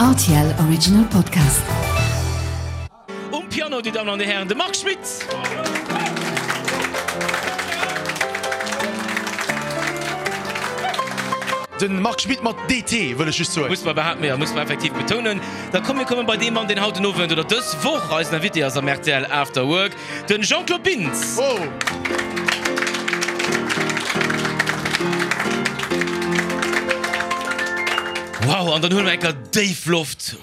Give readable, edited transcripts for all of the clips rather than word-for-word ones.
Rtl Original Podcast. Um Piano, déi Dammen an déi Hären, de Marc Schmitt. De Marc Schmitt mat DT, wëll ech just soen. Muss mer behaapten, jo, muss mer effektiv betounen. Da komm, mir komme bei dee Mann, deen haut den Owend oder dës Woch eisen Invité ass am rtl After Work, den Jean-Claude Bintz. Oh! Wow, an dann huele mer eng Kéier déif Loft.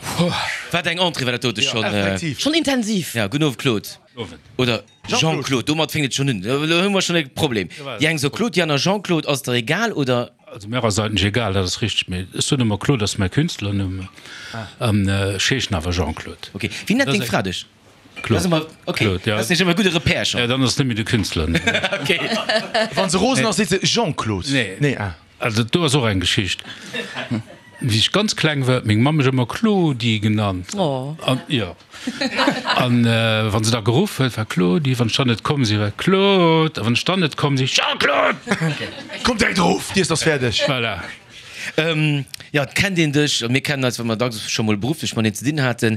Wat eng Entrée war dat dote schonn. Effektiv. Schonn intensiv. Ja, gudden Owend Claude. Owend. Oder Jean-Claude, domat fänkt et schonn un. Elo hu mer schonn e Problem. Déi eng soe Claude, déi aner Jean-Claude. Ass et der egal oder? Also mir ass eigentlech egal, dat ass richteg, mee ech soen ëmmer Claude ass mäi Künstlernumm an ech heeschen awer Jean-Claude. Ok, wéi nennt deng Fra dech? Claude. Ok, dat ass nämlech ëmmer e gudde Repère schonn. Ja, dann ass et net méi de Künstlernumm. Ok. Wa se rosen ass, seet se Jean-Claude. Nee. Nee, ah. Also do ass och eng Geschicht. Wéi ech ganz kleng war, huet meng Mamm mech ëmmer Claudi genannt. An jo. An wa se da geruff huet, war Claudi. Wann ech dann net komm sinn, war Claude. A wann ech dann net komm sinn, Jean-Claude! Komm direkt erof, d'Iess ass fäerdeg. Voilà. Jo, et kennt een dech, mir kennen eis, well mer dacks scho mol berufflech mateneen ze dinn haten.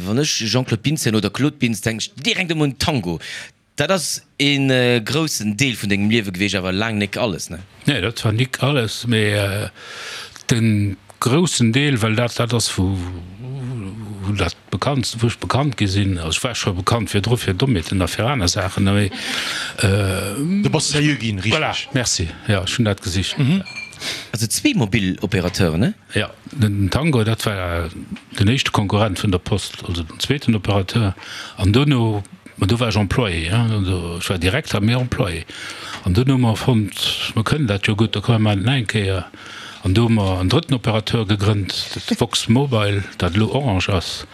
Wann ech Jean-Claude Bintz héieren oder Claude Bintz, denken ech direkt ëmmer un Tango. Dat ass ee groussen Deel vun dengem Liewe gewiescht, awer laang nik alles, ne? Nee, dat war nik alles, mee de groussen Deel, well dat dat ass, wou dat bekannt, wou ech bekannt gi sinn. Also ech war scho bekannt virdru fir Dommheeten a fir aner Saachen, mee. Du bass seriö ginn, richteg? Voilà, merci, jo, ech hunn dat gesicht. Also zwee mobil Operateuren, ne? Jo, den Tango, dat war den éischte Konkurrent vun der Post, also den zweeten Operateur. An duerno, ma do war ech Employé, also ech war Direkter, mee Employé. An dunn hu mer fonnt, mer kënnen dat jo gutt, da komm mer maachen et nach eng Kéier. An do hu mer en drëtten Operateur gegrënnt, dat Vox Mobile, dat elo Orange ass.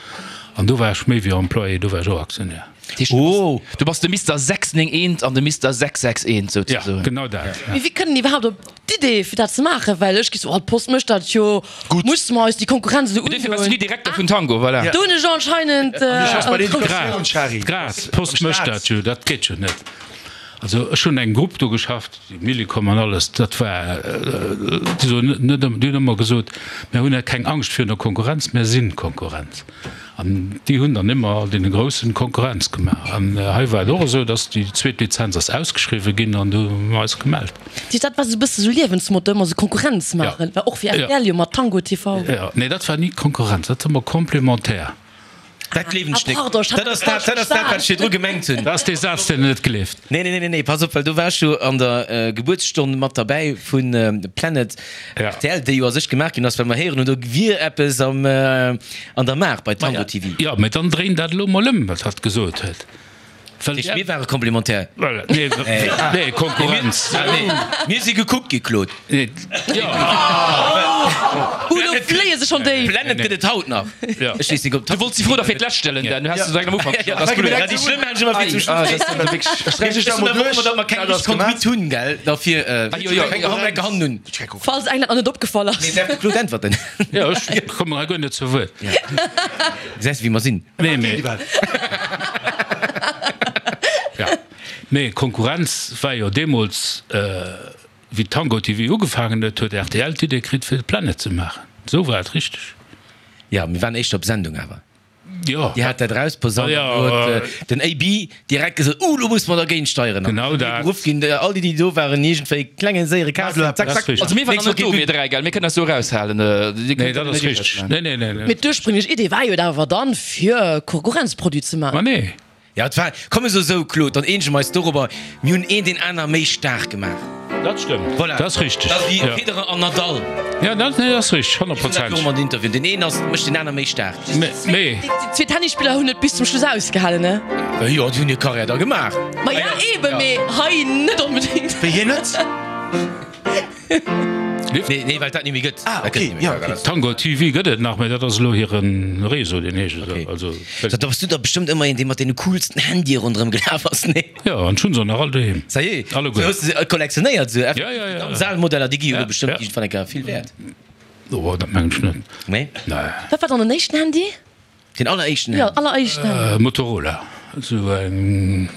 An do war ech méi wéi Employé, do war ech och Aktionär. Oh! Du bass de Mister 691 an de Mister 661 souzesoen. Ja, genau dat. Mee wéi kënnt een iwwerhaapt op d'Idee fir dat ze maachen? Well ech gi sou, oh d'Post mécht dat jo, musse mer eis déi Konkurrenz elo Dofir bass du undoen? ni Direkter vun Tango, voilà. Do hunn ech anscheinend. An du schaffs bei der Educatioun, Shari. Grad, d'Post mécht dat jo, dat geet jo net. Also ech hunn engem Grupp do geschafft, déi Millicom an alles, dat war, déi soen net, déi hunn ëmmer gesot, mir hunn keng Angscht virun der Konkurrenz, mir sinn d'Konkurrenz. An déi hunn dann ëmmer deene Groussen Konkurrenz gemaach. An hei war et och esou, dass déi zweet Lizenz ass ausgeschriwwen ginn an du hu mer eis gemellt. Dat war esou e bësse sou Liewensmotto, ëmmer sou Konkurrenz maachen, war och fir rtl jo mat Tango TV. Jo, nee, dat war ni Konkurrenz, dat war ëmmer complémentaire. Dat gleewen ech Ah, nik. pardon, ech hat Dat ass dat, dat ass dat, wat ech virdru gemengt hunn. Dat ass dee Saz, deen en net gleeft. Nee, nee, nee, nee, pass op, well do war ech jo an der Gebuertsstonn mat derbäi vu Planet rtl, déi jo a sech gemaach ginn ass, well mer héieren hunn, do wier eppes am, an der Maach bei Tango TV. Jo, mä dann dréin dat elo mol ëm, wat hatt gesot huet. Dat heescht, mir ware komplementär? Nee, nee, Konkurrenz. Nee, mir si gekuckt gi, Claude. Jo. Uh, do fléie se schonn déif. Planet gëtt et haut nach. Ech weess net, ob. Du wollts déi Fro da fir d'lescht stellen, Dan. Du has se direkt am Ufank gestallt. Ass gutt. Ja, déi schlëmm halen ech ëmmer fir zum Schluss. Ech Ech hunn awer och ëmmer, datt mer keng richteg Conduite hunn, gell? Derfir fänke mer eng Hand un. Falls engem dat nach net opgefall ass. Nee, däerf de Claude äntwerten. Jo, ech kommen hei guer net zu Wuert. Gesäis de, wéi mer sinn. Nee, mee. Ja, mee Konkurrenz war jo deemools, wéi Tango TV ugefaangen huet, huet rtl d'Idee kritt, fir Planet ze maachen. Esou war et richteg. Jo, mir waren éischter op Sendung awer. Jo. Dir hat dat erausposaunt an do huet den AB direkt gesot, Uh, lo musse mer dergéint steieren. Genau dat. Geruff ginn, all déi, déi do waren, iergendwéi klengen, séiere Kabel, zack, zack. Also mir waren nach net do, mir 3, gell? Mir kënnen eis do eraushalen. Nee, dat ass richteg. Nee, nee, nee, nee. Mee d'ursprünglech Idee war jo awer dann, fir e Konkurrenzproduit ze maachen. Ma nee. Ja, et war, komm mir soe sou, Claude, dann eenege mer eis dorobber, mir hunn een deen aner méi staark gemaach. Dat stëmmt. Voilà. Dat ass richteg. Dat ass wéi Ja. Federer an Nadal. Ja, dat, nee, dat ass richteg, Ech hunn dat honnertprozenteg. och ëmmer an den Interviewen, deen een ass, mécht deen aner méi staark. Mee, mee. Déi zwee Tennisspiller hunn et bis zum Schluss ausgehalen, ne? Jo, déi hunn hir Karriär da gemaach. Ma ja, eben, mee hei net onbedéngt. Wéi hien net? Nee, nee, well dat ni méi gëtt. Ah, Dat gëtt okay, ni méi. ja, okay. Tango TV gëtt et nach, mä dat ass elo hire Réseau, deen heescht esou. Okay. Also, Da bass du da bestëmmt ëmmer een, dee mat deene coolsten Handye ronderëm gelaf ass, nee? jo, an ech hunn se och nach all doheem. Ça y est, Alleguer. du hues se kollektionéiert, esou Ja, effektiv. ja, ja. Déi ganz al Modeller, déi gi jo elo Ja, bestëmmt ja. iergendwann eng Kéier vill wäert. Oh, dat mengen ech net. Nee? Nee. Wat war dann den éischten Handy? Den alleréischten Jo, Handy? alleréischten Handy. Motorola. Esou eng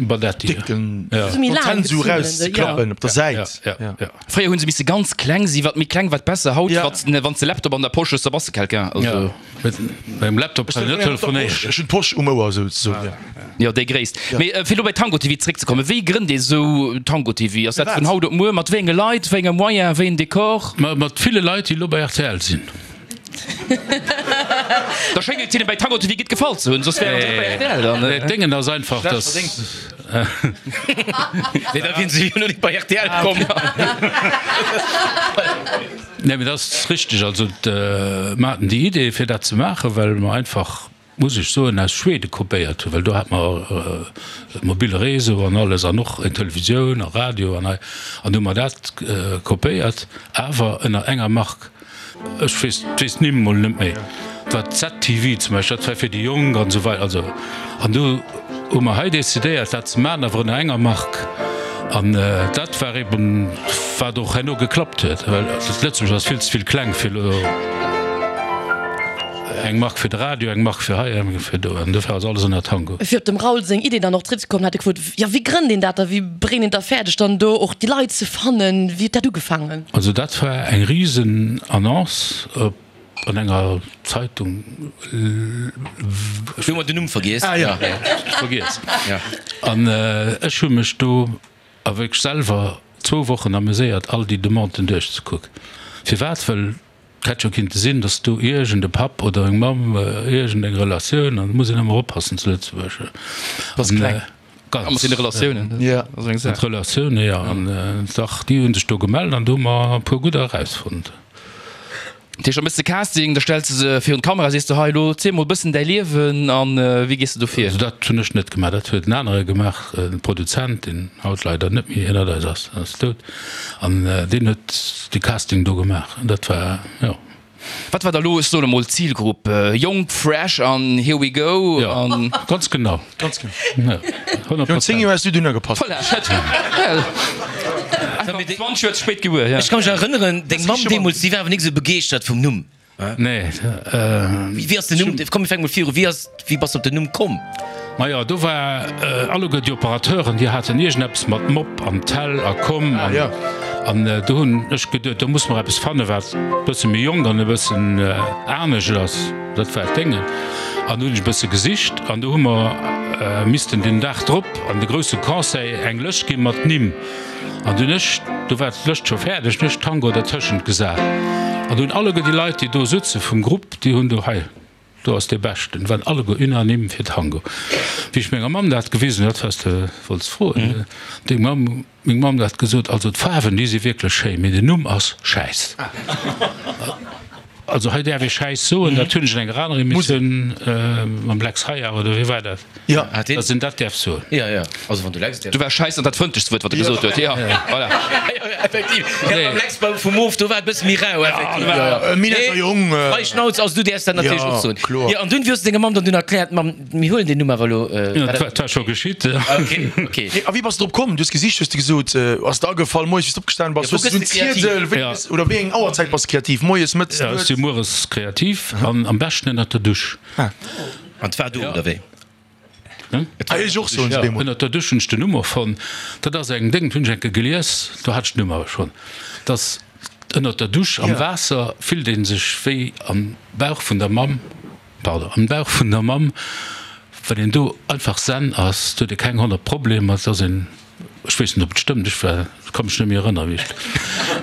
Badetti. Décken Ja. Esou méi laang Antenn esou gezunn, erausklappen op der Säit. Ja, ja, ja. Fréier hunn se misse ganz kleng sinn, wat méi kleng wat besser. Haut Ja. wann wann s de Laptop an der Posch hues, da bass de quelqu'un. Also Ja, mat engem Laptop kann een net telefonéieren. Ech hunn d'Posch um Ouer souzesoen, ja. Jo, déi Gréisst. Mee fir elo bei Tango TV zeréckzekommen, wéi grënnt ee sou Tango TV? Ass dat vun haut op muer? Mat wéi enge Leit, wéi enge Moyen, wéi en Dekor? Ma mat ville Leit, déi elo bei rtl sinn. Da schéngt et hinnen bei Tango TV gutt gefall ze hunn, soss wären se net bei rtl dann. Nee, d'Déngen ass einfach, dass. Nee, da wieren se jo net bei rtl komm. Nee, mee dat ass richteg. Also, mer haten déi Idee, fir dat ze maachen, well mer einfach, muss ech soen, aus Schweden kopéiert hunn, well do hat mer e mobile Réseau an alles an och eng Televisioun a Radio an hei. An du hu mer dat kopéiert, awer ënner enger Mark. Ech weess, weess d'Nimm mol net méi. Et war d'ZTV zum Beispill, dat war fir déi Jonk an esou weider. Also, an du hu mer hei decidéiert, dat ze maachen, awer ënner enger Mark. An dat war eben, wat och herno geklappt huet, well Lëtzebuerg ass vill ze vill kleng fir elo eng Mark fir de Radio, eng Mark fir hei, eng fir do. An dofir ass alles ënner Tango. Fir op dem Raoul seng Idee dann och zréckzekommen, hat e gefrot, jo wéi grënnt een dat da, wéi bréngt een et da fäerdeg dann do och déi Leit ze fannen? Wéi huet dat ugefaangen? Also dat war eng risen Annonce op an enger Zeitung. Ech hu mer den Numm vergiess. Ah jo. Vergiess. An ech hu mech do a wierklech selwer zwou Wochen amuséiert all déi Demanden duerchzekucken. Firwat? Well et hätt jo kinnte sinn, datt do iergend e Papp oder eng Mamm iergend eng Relatioun, an do muss een ëmmer oppassen zu Lëtzebuerg. Ass kleng. Ganz. A mat deene Relatiounen, Ja. dat ass eng Saach. Mat Relatioune, jo. An dach, déi hu sech do gemellt an do hu mer e puer gudder erausfonnt. Dat heescht, da méchs de Casting, da stells de se virun d'Kamera, sees de, hei elo ziel mol e bëssen däi Liewen an wéi gees de do vir? Also dat hunn ech net gemaach, dat huet en anere gemaach, e Produzent, deen haut leider net méi ënnert eis ass, en ass dout, an deen huet de Casting do gemaach. Dat war, jo. Wat war da lo, ech soen emol, d'Zilgrupp? Jonk, fresh an here we go? Jo, an. Ganz genau. Ganz genau. Ja, 100 Virun 10 Joer häss du dunner gepasst. Voilà, ech hätt, ja, einfach 20 Joer ze spéit gebuer, ja. Ech ka mech erënneren, deng Mamm deemools, déi war awer nik esou begeeschtert vum Numm. Nee. Wéi ass den Numm, komm mir fänke mol viru, wéi ass, wéi bass de op den Numm komm? Majo, do war alleguer déi Operateuren, déi haten iergendeppes mat Mob an Tel a Com an an do hunn ech geduet, do muss mer eppes fanne wat e bësse méi jonk an e bëssen anescht ass. Dat war d'Déngen. An do hunn ech e bësse gesicht an do hu mer missten den Dag drop an de grousse Conseil eng Lëscht gi mat Nimm. An dunn ech, do war d'Lëscht scho fäerdeg, hunn ech Tango dertëschent gesat. An dunn alleguer déi Leit, déi do sutze vum Grupp, déi hunn do, hei, do ass dee Beschten, waren alleguer unanime fir Tango. Wéi ech menger Mamm dat gewisen hunn, dat wat s de wollts froen, deng Mamm, meng Mamm dat gesot, also d'Faarwen, déi si wierklech schéin, mee den Numm ass schäiss. Also hei däerf ee Schäiss soen, dat hunn ech an enger anerer Emissioun mam Lex Heyar, oder wéi war dat? Jo. Datt een dat däerf soen. Jo, jo, also wann du Lex däerfs. Du war Schäiss an dat frëndlechst Wuert, wat e gesot huet, jo, voilà. Jo, jo, effektiv. Jo, mam Lex vum Mof, do war et e bësse méi rau, effektiv. Jo, jo. Minetter Jong. Frei Schnauz, also du däerfs dat natierlech och soen. Jo, kloer. Jo, an dunn, wéi hues de denger Mamm dann dunn erkläert, Mamm, Mir huelen deen Numm awer elo. Jo, dat war scho geschitt. Okay, okay. A wéi bass de drop komm? Du hues gesicht, hues de gesot, ass der agefall moies, wéi s de opgestanen bass? Ja, wou Hues de gëss esou de en kreativ? Ziedel? Wéi Ja. bist, oder wéi eng Auerzäit bass de kreativ? Moies, mëttes, Ja, ech nuets? si mueres kreativ an am beschten ënnert der Dusch. An et war do, oder wéi? Hm? Et war Ah, ech och, soen se Ja, deemol. ënnert der Dusch hunn ech den Numm erfonnt. Dat ass eng Déng, dat hunn ech eng Kéier gelies, do hat ech den Numm awer schonn. Dass ënnert der Dusch am Ja. Waasser fillt ee sech wéi am Bauch vun der Mamm. Pardon, am Bauch vun der Mamm, wann een do einfach zen ass, do huet ee keng 100 Problemer, et ass een, ech weess net ob et stëmmt, ech war, ech ka mech net méi erënnere wéi ech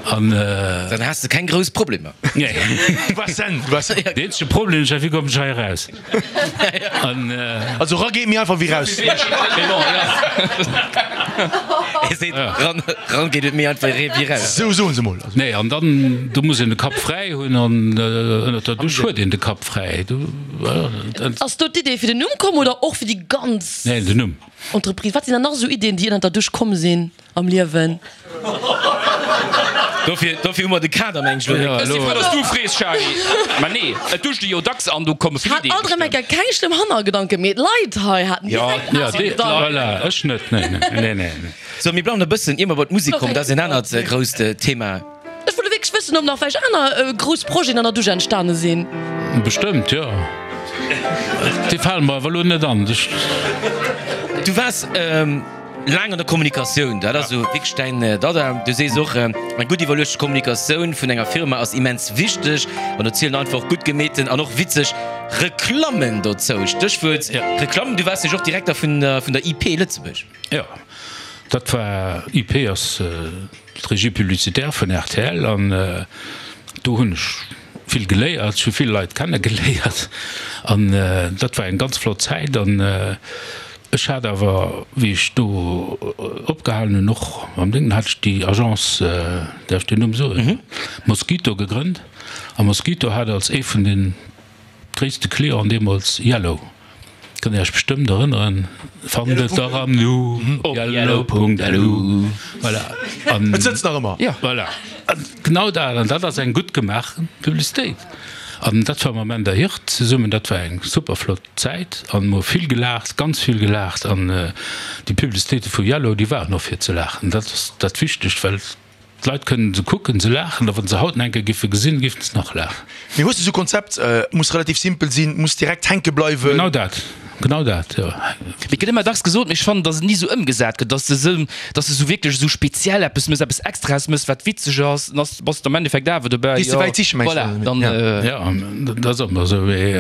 an. Dann has de keng grouss Problemer. Nee. Du waars zen, du waars zen. Deen eenzege Problem ass, wéi kommen ech hei eraus? An. Also era geet méi einfach wéi raus. Mais bon, ja. Hie seet, ran, ran geet et méi einfach wéi raus. Sou soen se mol. Nee, an dann, do muss een de Kapp fräi hunn an ënnert der Dusch huet een de Kapp fräi. Du, Ass do d'Idee fir den Numm komm oder och fir déi ganz Nee, den Numm. Entreprise? Wat sinn dann nach esou Iddien, déi ënnert der Dusch komm sinn am Liewen? Dofir, dofir hu mer de Kader, meng ech elo. Ja, Ech si elo. frou, dass du frees, Shari. Mä nee, et duscht ee jo dacks an do komme vill Hat Iddien alt erëm eng bestimmt. Kéier keng schlëmm Hannergedanken, mee d'Leit hei haten Ja, direkt Ja, aner déi, Gedanken. voilà, ech net, nee, nee, nee, nee. So, mir bleiwen e bëssen, ier mer bei d'Musek kommen, dat ass en anert grousst Thema. Ech wollt wierklech wëssen, ob nach vläicht aner grouss Projeten an der Dusch entstane sinn. Bestëmmt, jo. Déi fale mer awer elo net an. Du waars laang an der Kommunikatioun, dat ass esou wierklech däin Dada. Du sees och, eng gutt iwwerluechte Kommunikatioun vun enger Firma ass immens wichteg an do zielen einfach gutt gemeeten an och witzeg Reklammen dozou. Stéchwuert Reklammen, du waars nämlech och Direkter vun der IP Lëtzebuerg. Jo, dat war, IP ass d'Régie publicitaire vun rtl an do hunn ech vill geléiert, ech hu vill Leit kenne geléiert an dat war eng ganz flott Zäit an ech hat awer wéi ech do opgehalen hunn och mam Déngen, hat ech déi Agence, däerf ech den Numm soen, Mosquito gegrënnt a Mosquito hat als ee vun den Gréisste Client deemools Yellow, kënnt Dir Iech bestëmmt erënneren, fannt et dach am Nu op yellow.lu. Voilà. An, Et sëtzt nach ëmmer. Ja. Voilà. An genau dat, an dat ass eng gutt gemaachen Publicitéit. An dat war mam Änder Hirt zesummen, dat war eng super flott Zäit an mer hu vill gelaacht, ganz vill gelaacht. An déi Publicitéite vu Yellow, déi waren och fir ze laachen. Dat ass dat Wichtegt, well D'Leit kënnen se kucken, se laachen, a wa se haut nach eng Kéier giffe gesinn, giffen se nach laachen. Mee hues de sou Konzept, muss relativ simpel sinn, muss direkt hänke bleiwen? Genau dat, genau dat, jo. Et gëtt ëmmer dacks gesot, mee ech fannen, datt et ni sou ëmgesat gëtt, datt s de sou, datt s de sou wierklech esou speziell eppes mëss, eppes Extraes mëss, wat witzeg ass, dann ass, bass de am Endeffekt awer dobäi, Gees de jo, wäit sichen, mengs voilà, de? dann. Jo, dat ass ëmmer esou, mee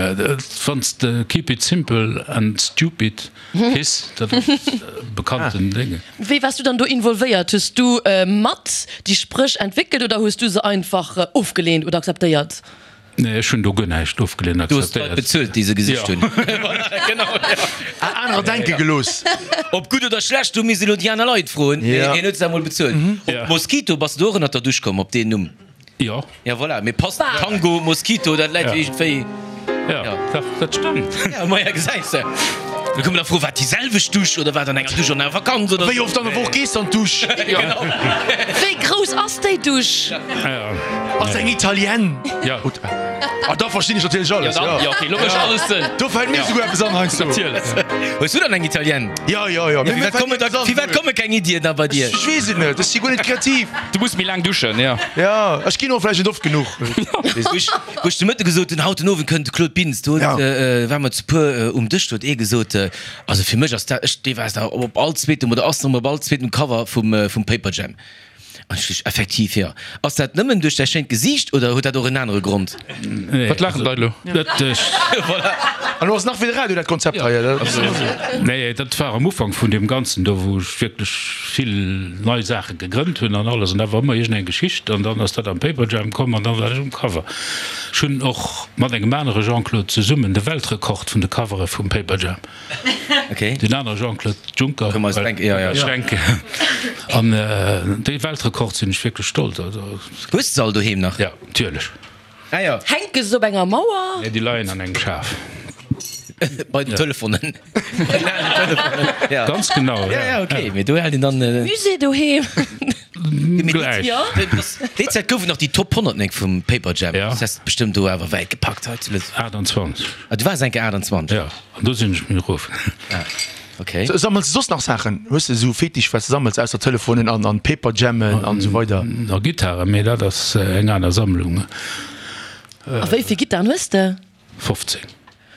wann s de keep it simple and stupid Kiss, dat ass bekannten Dénge. Wéi waars du dann do involvéiert? Hues du mat déi Spréch entwéckelt oder hues du se einfach ofgeleent oder akzeptéiert? Nee, ech hunn do guer näischt ofgeleent, Du hues d'Leit akzeptéiert. bezuelt, déi se gesicht hunn. Voilà, genau, ja. Anerer denke gelooss. Ob gutt oder schlecht, do misst elo déi aner Leit froen. Mee hien huet se emol bezuelt. Op Mosquito bass de do och ënnert der Dusch komm, op deen Numm? Jo. Ja voilà, mee passt Tango, Mosquito, dat läit jo iergendwéi. Ja, dach, dat stëmmt. Ja, maja, gesäis de. Da kann man da froen, war et déi selwecht Dusch oder war et an enger Dusch an enger Vakanz oder Wéi oft an der Woch gees de an d'Dusch? Genau. Wéi grouss ass déi Dusch? Ass eng Italienne? Ja. Ah, da verstinn ech natierlech alles. Ja, dann, ja, okay, lo mécht alles Sënn. Do fält mir souguer eppes an heiansdo. Natierlech. Hues du dann eng Italienne? Ja, ja, ja. Firwat kommen da, firwat komme keng Iddien da bei dir? Ech weess et net, ech si guer net kreativ. Du muss méi laang duschen, ja. Ja, ech ginn och vläicht net oft genuch. Wou ech, wou ech de Mëtte gesot hunn, haut den Owend kënnt de Claude Bintz, do huet, ware mer zu puer um Dësch, do huet ee gesot, also fir mech ass dat, ech, dee war da op all zweetem oder ass nach op all zweetem Cover vum, vum Paperjam. An ech sech, effektiv, jo. Ass dat nëmmen duerch däi schéint Gesiicht oder huet dat och en anere Grond? Wat laachen d'Leit elo? Voilà. An elo ass nach fir de Radio dat Konzept hei. Nee, dat war am Ufank vun deem Ganzen do, wou ech wierklech vill nei Saache gegrënnt hunn an alles. An da war ëmmer iergendeng Geschicht an dann ass dat am Paperjam komm an dann war ech um Cover. Ech hunn och mat engem anere Jean-Claude zesummen de Weltrekord vun de Covere vum Paperjam. Okay. Deen anere Jean-Claude Juncker. Kënne mer eis denken, ja, ja. Ech denken. An dee Weltrekord sinn ech wierklech stolz. Also. Hues de se all doheem nach? Ja, natierlech. Ah ja. Hänke se op enger Mauer? Nee, déi leien an engem Schaf. Bei den Telefonen. Bei den alen Telefonen. Ja. Ganz genau, ja. Ja, ja, okay. Mee do hält een dann. Musée doheem. Gläich. Ja. Déi Zäit gouf et nach déi Top 100 nek vum Paperjam. Ja. Das has bestëmmt do awer wäit gepackt hei zu Lëtzebuerg. 28. Ah, du waars eng Kéier 28? Ja, an do sinn ech méi erof. Ah, okay. Sammels de soss nach Saachen? Hues de esou Fetisch wat de sammels ausser Telefonen an an Paperjammen an esou weider? A Gittaren, mee dat ass eng aner Sammlung. A wéi vill Gittaren hues de? 15.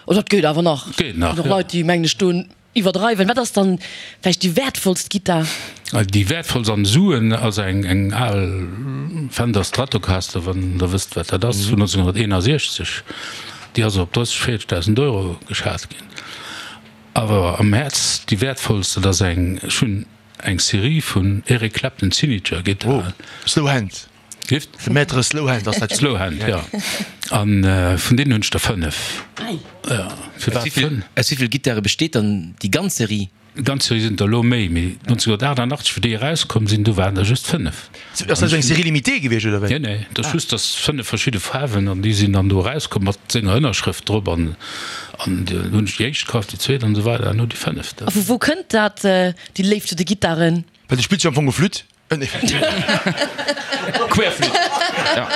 Oh, dat geet awer nach. Geet nach, jo. Leit déi mengen ech do Iwwerdreiwen. Wat ass dann vläicht déi wäertvollst Gittar? Déi wäertvollst an Suen ass eng eng al Fender Stratocaster, wann der wësst wat dat ass, vun 1961. Déi ass op 30, 40.000 Euro geschat ginn. Awer am Häerz déi wäertvollst, dat ass eng, ech hunn eng Serie vun Eric Clapton Signature Gittaren. Oh, Slow Hand. Gift? De Maître Slowhand ass dat. Slowhand, jo. A vun deenen hunn ech der 5. Jo, firwat 5? Aus wéi vill Gittare besteet dann déi ganz Serie? Déi ganz Serie sinn der elo méi, mee 1988, wou déi erauskomm sinn, do waren der just 5. Ass dat esou eng Série limitée gewiescht, oder wéi? Nee, nee, dat ass just, dass 5 verschidde Faarwen an déi sinn dann do erauskomm mat senger Ënnerschrëft drop an an dunn hunn ech déi éischt kaf, déi zweet an esou weider an elo déi fënneft. A vu wou kënnt dat, déi Léift zu de Gittaren? Well du spills jo am Fong Flütt. Querflütt, ja.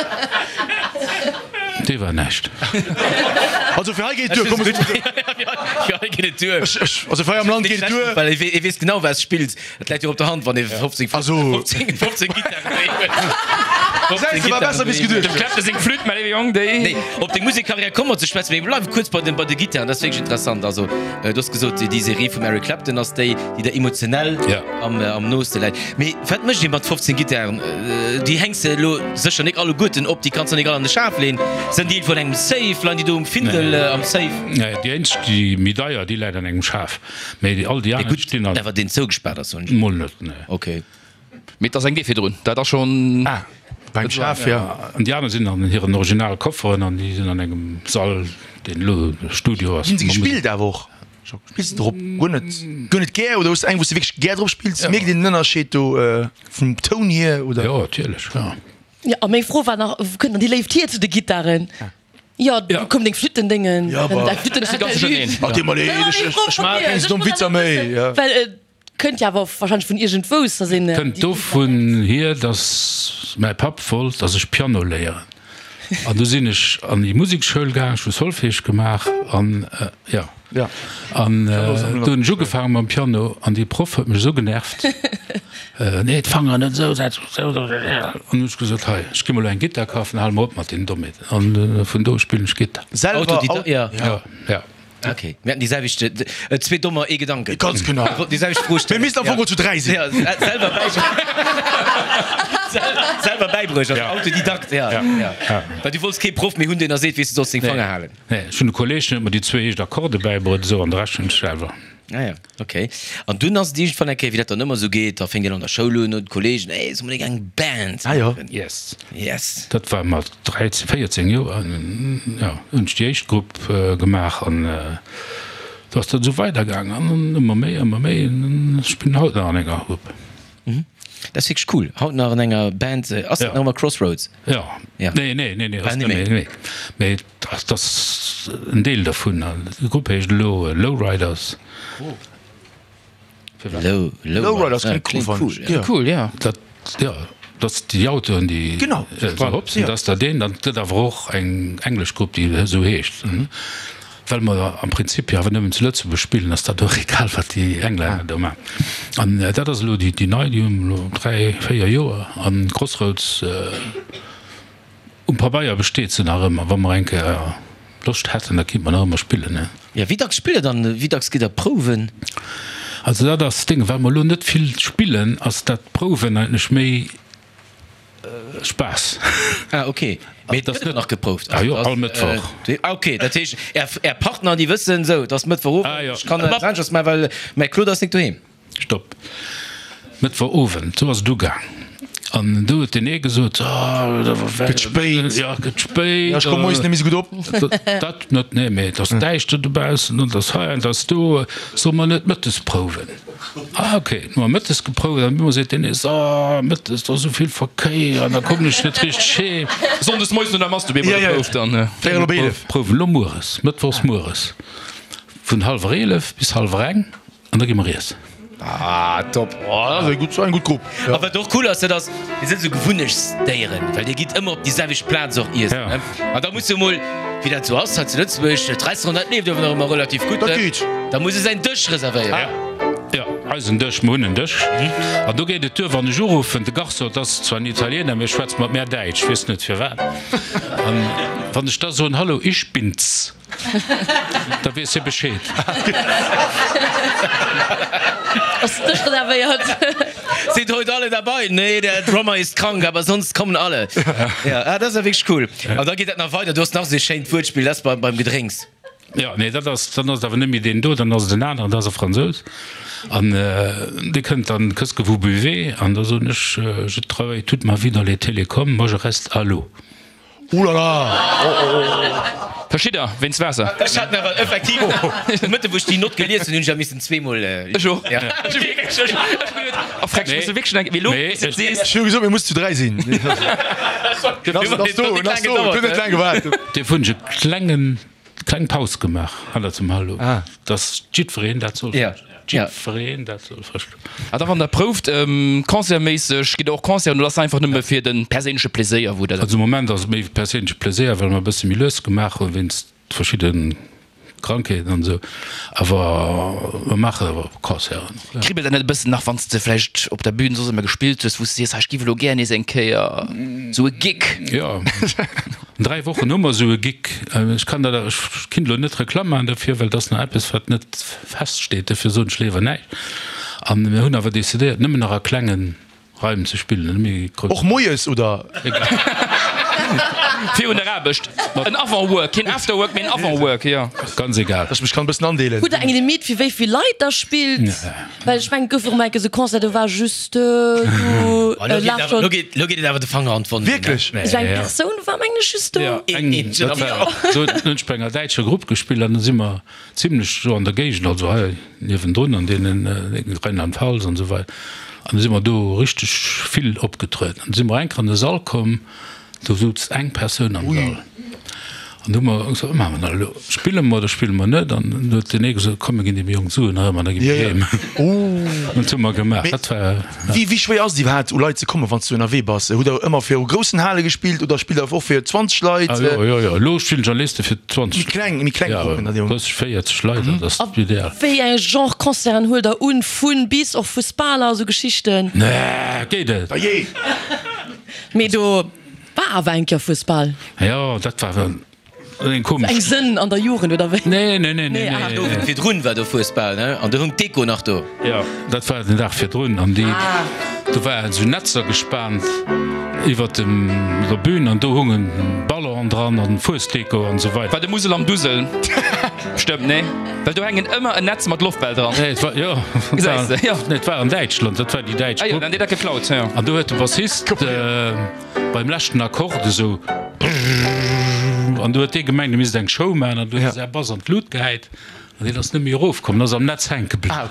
Dee war näischt. Also fir hei geet et duer, komm es Fir hei geet et duer. Also fir hei am Land geet et duer. Well ee weess genau wat s spills. Et läit jo op der Hand wann ee 15 15 15 Gittaren doheem huet. Säis, war besser wéi s geduecht Dem hues. Clapton seng Flütt, mäi léiwe Jong, déi. Nee, op deng Musekkarriär komme mer ze schwätzen, mee mir bleiwe kuerz bei de, bei de Gittaren, dat ass wierklech interessant. Also, du hues gesot, déi Serie vum Eric Clapton ass déi, déi der emotionell am, am nooste läit. Mee wat mécht ee mat 15 Gittaren? Déi hänks de elo sécher nik alleguerten op, déi kanns de nik all an de Schaf leen. Sënn déi iergendwou an engem Safe? Leien déi do um Findel am Safe? Nee, déi eenzeg, déi méi deier, déi läit an engem Schaf. Mee déi all déi aner stinn an. Awer deen zougespaart ass, soen ech. Mol net, nee. Ok. Mee et ass eng Dier virdrun, dat ass schonn. Ah, beim Schaf, jo. An déi aner sinn an hiren original Kofferen an déi sinn an engem Sall, deen elo e Studio ass. Ginn se gespillt awer och? Jacques, spills de drop guer net, guer net gär oder hues de eng, wou s de wierklech gär drop spills? Mierkt een den Ënnerscheed do vum Toun hier, oder? Jo, natierlech, jo. Jo, a meng Fro war nach, Wou kënnt dann déi Léift hier zu de Gittaren? Jo, do koum deng Flüttendéngen, däi Flütten-Interlude. Ach, deet mer leed, ech maache keng sou domm Witzer méi. Well et kënnt jo awer warscheinlech vun iergendwous, dass een. Kënnt dovun hier, dass mäi Papp wollt, dass ech Piano léieren. An du sinn ech an déi Musekschoul gaang, ech hu Solfège gemaach an jo. An du hunn ech ugefaange mam Piano an dee Proff huet mech esou genervt, Nee, d'Fangeren net esou setzen, esou, esou. An hunn ech gesot, Hei, ech gi mer elo eng Gittar kafen, hale mer op mat deenen Dommheeten. An vun do u spillen ech Gittar. Autodidakt, ja. Ja, ja. Ok, mir haten déi selwecht, zwee Dommer, ee Gedanken. Ganz genau. Mir wollten déi selwecht Fro stellen. Mir missten am Fong och zu 3 sinn. Ja, selwer selwer bäibruecht, also Autodidakt, ja, ja. Well du wollts kee Proff méi hunn, deen der seet, wéi s du solls deng Fanger halen. Nee, ech hunn e Kolleg, deen huet mer déi zwou éischt Akkorde bäibruet, esou, an de Rescht hunn ech selwer. Ah ja, ok. An dunn ass et iergendwann eng Kéier, wéi dat dann ëmmer esou geet, da fänkt een an der Schoul un, un d'Kollegen, Hey, solle mer nik eng Band Ah jo. maachen? Yes. Yes. Dat war mat 13, 14 Joer, jo, hunn ech déi éischt Grupp gemaach an do ass dat esou weidergaangen an dann ëmmer méi, ëmmer méi an ech spillen haut nach an enger Grupp. Dat ass wierklech cool. Haut nach an enger Band, ass dat nach ëmmer Crossroads? Jo. Ja. Nee, nee, nee, nee, Ah, ass net net méi. méi, nee. Mee dat ass en Deel dervun. Déi Grupp heescht elo Lowriders. Firwat? Low, Lowriders ja, kléngt cool, kléngt cool, fannen ech. ja. Ja. Cool, ja. Dat, jo, dat ass déi Autoen, déi Genau. esou hop sinn. Ja. Dat ass dat eent. An et gëtt awer och eng englesch Grupp, déi esou heescht. Well mer am Prinzip jo awer nëmmen zu Lëtzebuerg spillen, ass dat och egal, wat déi Englänner do maachen. An dat ass elo déi nei, déi hunn elo 3, 4 Joer. An Crossroads, um Pabeier besteet se nach ëmmer. Wa mer eng Kéier Loscht hätten, da kéinte mer nach ëmmer spillen. Jo, wéi dacks spillt der dann? Wéi dacks gitt der prouwen? Also dat ass d'Déng, well mer elo net vill spillen, ass dat Prouwen eigentlech méi Spaass. Ah ok, mee et gëtt nach geprouft? Ah jo, all Mëttwoch. Ah ok, dat heescht är är Partner déi wëssen esou, et ass Mëttwochowend, Ah jo. ech kann eppes aneschters maachen, well mäi Claude ass nik doheem. Stopp, Mëttwochowend, sou ass et ugaang. An du huet deen ee gesot, oh, Gëtt spéit. Ja, gëtt spéit. Ja, ech komm moies net méi sou gutt op. Dat net, nee, mee et ass däischter dobaussen an et ass hei an et ass do, solle mer net mëttes prouwen? Ah ok, hu mer mëttes geprouft an op eemol seet deen ee, so mëttes, do ass esou vill Verkéier an da kommen ech net richteg heem. Sonndes moies no der Mass du bemol geprouft dann. Véierel op 11. Prouwen elo mueres, mëttwochs mueres vun hallwer 11 bis hallwer eng an da gi mer iessen. Ah top! Oh, dat ass eng gutt, eng gutt Grupp. A wat och cool ass, dat ass, dir sidd esou Gewunneschtsdéieren, well dir gitt ëmmer op déi selwecht Plaz och iessen, Ja. ne? An da muss jo mol, wéi dat esou ass hei zu Lëtzebuerg, d'Restaurant, dat leeft awer nach ëmmer relativ gutt, Dat ne? geet. Da muss e säin Dësch reservéieren. Ja, ja, eisen Dësch, mer hunn en Dësch. An do geet et duer, wann ech uruffen, de Garçon, dat ass zwar en Italiener, mee schwätzt mat mär Däitsch, weess net firwat. An wann ech da soen, Hallo, ich bin's. Da weess hie Bescheed. Ass den Dësch reservéiert? Sind heute alle dabei? Nee, der Drummer ist krank, aber sonst kommen alle. Ja, ah, dat ass ja wierklech cool. An da geet dat nach weider. Du hues nach esou e schéint Wuertspill, dat ass beim, beim Gedrénks. Ja, nee, dat ass, dann ass et awer net méi deen do, dann ass et en aneren, dat ass e Fransous. An dee kënnt dann, Qu'est-ce que vous buvez? An da soen ech, Je travaille toute ma vie dans les télécoms, moi je reste à l'eau. Oulala! Verstitt der? Wéinst Waasser. Ech hat awer effektiv de Mëtte wou ech déi Nott gelies hunn, hunn ech awer missen zweemol. Ech och. Ja. Ech hu wierklech, ech hu geduet, oh freck, ech muss elo wierklech eng, mee elo wou s de et sees. Ech hu gesot, mir mussen zu 3 sinn. En ass do, en ass do, et huet net laang gewaart. Dierf hunn ech e klengen. Kleng Paus gemaach hannert dem Hallo, dass jiddwereen dat soll jiddwereen dat soll verstoen. A da wann der prouft, concertméisseg, gitt der och Concerten oder ass dat einfach nëmme fir de perséinleche Pleséier wou der dat. Also am Moment ass et méi perséinleche Pleséier, well mer e bësse méi lues gemaach hunn wéinst verschidde. Krankheeten an esou. Awer mer maachen awer Concerten och, jo. Kribbelt dat net e bëssen nach, wann s de vläicht op der Bühn soss ëmmer gespillt hues, wou s de sees, ha ech giff elo gär nees eng Kéier esou e Gig? Jo, an 3 Wochen hu mer esou e Gig. Ech kann dat awer, ech kinnt elo net Reklamm maachen derfir, well et ass nach eppes, wat net feststeet, dofir soen ech léiwer näischt. A mir hunn awer decidéiert, nëmmen nach a klengen Raim ze spillen, net méi grouss. Och moies oder? Virun der Aarbecht. En Avant-Work, keen After-Work, mee en Avant-Work, jo. Ganz egal. Dass ech mech kann e bëssen andeelen. Hutt der eng Limite fir wéi vill Leit der spillt? Well ech mengen et gouf och emol eng Kéier esou Concert, do war just do laf Lo geet lo geet et awer de Fanger an d'Wonn. Wierklech? Esou eng Persoun war mengen ech just do. Jo, eng, dat war do hunn ech bei enger däitscher Grupp gespillt an do si mer zimlech do an der Géigend, also hei niewendrun an deenen Rheinland-Pfalz an esou weider, an du si mer do richteg vill opgetrueden. An du si mer eng Kéier an de Sall komm, do souz eng Persoun am Sall. An du hu mer gesot, wat maache mer dann elo, spille mer oder spille mer net? An du huet deen ee gesot, komm mir ginn deem Jong d'Suen erëm an da gi mer heem. An dat hu mer gemaach. Dat war. Wéi wéi schwéier ass et iwwerhaapt u Leit ze kommen, wann s du ënnerwee bass? Hutt der ëmmer viru groussen Hale gespillt oder spillt der och fir 20 Leit? Ah jo, jo, jo, elo spillen ech am léifste fir 20. Méi kleng, méi kleng Gruppen dann jo. 30, 40 Leit, dat ass ideal. A wéi eng Genre Concerten huelt der un? Vun bis, och Fussballer, esou Geschichten? Nee, geet et? Dajee! Mee do war awer eng Kéier Fussball. Jo, dat war. Eng komesch. Eng Sënn an der Jugend, oder wéi? Nee, nee, nee, nee, nee. Den Owend virdrun war do Fuesbal, ne? An do hung d'Deko nach do. Jo, dat war den Dag virdrun. An déi, do waren esou Netzer gespaant iwwert dem, der Bühn an do hungen Ballon dran an Fuesdeko an esou weider. War de Musel am Dusel? Stëmmt, nee? Well do hängen ëmmer en Netz mat Loftbäll dran. Nee, et war, jo, Gesäis de, jo. Nee, et war an Däitschland, dat war déi däitsch Ah jo, Grupp. dann huet déi dat geklaut, jo. An do huet de Bassist, Beim leschten Akkord esou brrrr an du huet dee gemengt, e misst eng Show maachen an du huet e säi Bass an d'Lut gehäit an deen ass net méi erofkomm, en ass am Netz hänke bliwwen.